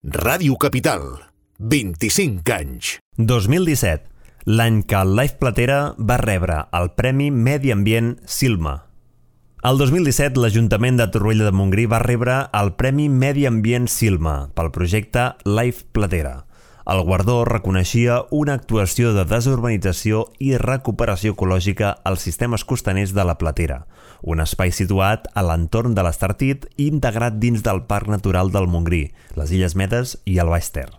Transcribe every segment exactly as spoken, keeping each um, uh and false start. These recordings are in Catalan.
Ràdio Capital, vint-i-cinc anys. dos mil disset, l'any que el Life Platera va rebre el Premi Medi Ambient Silma. El dos mil disset, l'Ajuntament de Torroella de Montgrí va rebre el Premi Medi Ambient Silma pel projecte Life Platera. El guardó reconeixia una actuació de desurbanització i recuperació ecològica als sistemes costaners de la Platera, un espai situat a l'entorn de l'Estartit i integrat dins del Parc Natural del Montgrí, les Illes Medes i el Baix Ter.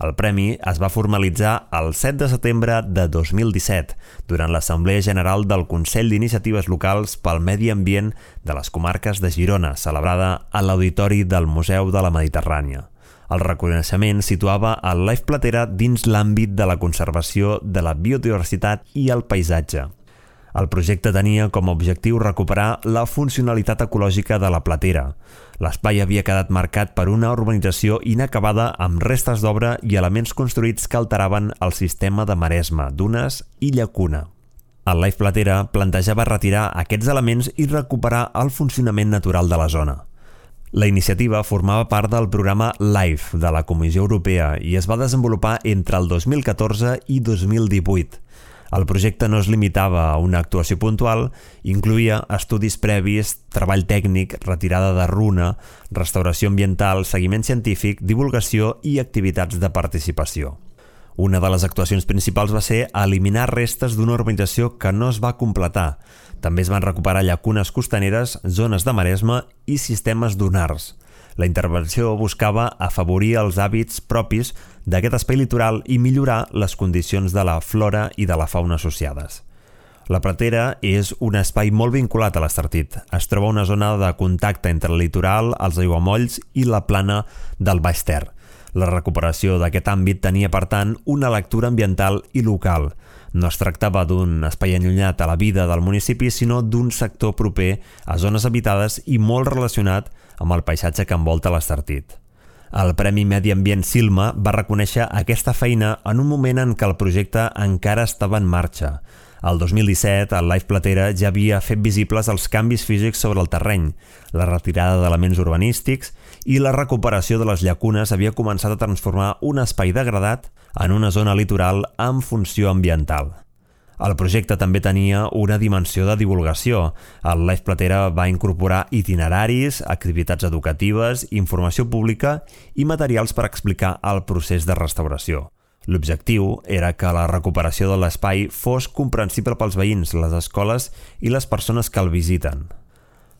El premi es va formalitzar el set de setembre de dos mil disset, durant l'Assemblea General del Consell d'Iniciatives Locals pel Medi Ambient de les Comarques de Girona, celebrada a l'Auditori del Museu de la Mediterrània. El reconeixement situava el Life Platera dins l'àmbit de la conservació de la biodiversitat i el paisatge. El projecte tenia com a objectiu recuperar la funcionalitat ecològica de la Platera. L'espai havia quedat marcat per una urbanització inacabada amb restes d'obra i elements construïts que alteraven el sistema de maresma, dunes i llacuna. El Life Platera plantejava retirar aquests elements i recuperar el funcionament natural de la zona. La iniciativa formava part del programa LIFE de la Comissió Europea i es va desenvolupar entre el dos mil catorze i dos mil divuit. El projecte no es limitava a una actuació puntual, incloïa estudis previs, treball tècnic, retirada de runa, restauració ambiental, seguiment científic, divulgació i activitats de participació. Una de les actuacions principals va ser eliminar restes d'una urbanització que no es va completar. També es van recuperar llacunes costaneres, zones de maresma i sistemes dunars. La intervenció buscava afavorir els hàbits propis d'aquest espai litoral i millorar les condicions de la flora i de la fauna associades. La Platera és un espai molt vinculat a l'Estartit. Es troba una zona de contacte entre el litoral, els aiguamolls i la plana del Baix Ter. La recuperació d'aquest àmbit tenia, per tant, una lectura ambiental i local. No es tractava d'un espai allunyat a la vida del municipi, sinó d'un sector proper a zones habitades i molt relacionat amb el paisatge que envolta l'Estartit. El Premi Medi Ambient Silma va reconèixer aquesta feina en un moment en què el projecte encara estava en marxa. El dos mil disset, el Life Platera ja havia fet visibles els canvis físics sobre el terreny, la retirada d'elements urbanístics i la recuperació de les llacunes havia començat a transformar un espai degradat en una zona litoral amb funció ambiental. El projecte també tenia una dimensió de divulgació. El Life Platera va incorporar itineraris, activitats educatives, informació pública i materials per explicar el procés de restauració. L'objectiu era que la recuperació de l'espai fos comprensible pels veïns, les escoles i les persones que el visiten.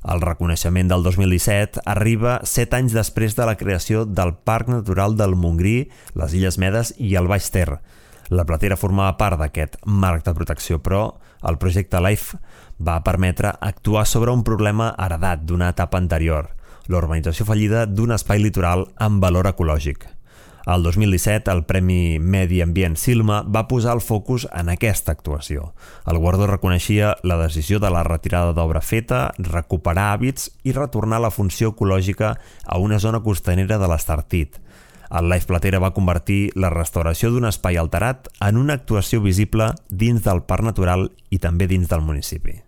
El reconeixement del dos mil disset arriba set anys després de la creació del Parc Natural del Montgrí, les Illes Medes i el Baix Ter. La Platera formava part d'aquest marc de protecció, però el projecte LIFE va permetre actuar sobre un problema heredat d'una etapa anterior, l'urbanització fallida d'un espai litoral amb valor ecològic. El dos mil disset, el Premi Medi Ambient Silma va posar el focus en aquesta actuació. El guardó reconeixia la decisió de la retirada d'obra feta, recuperar hàbits i retornar la funció ecològica a una zona costanera de l'Estartit. El Life Platera va convertir la restauració d'un espai alterat en una actuació visible dins del Parc Natural i també dins del municipi.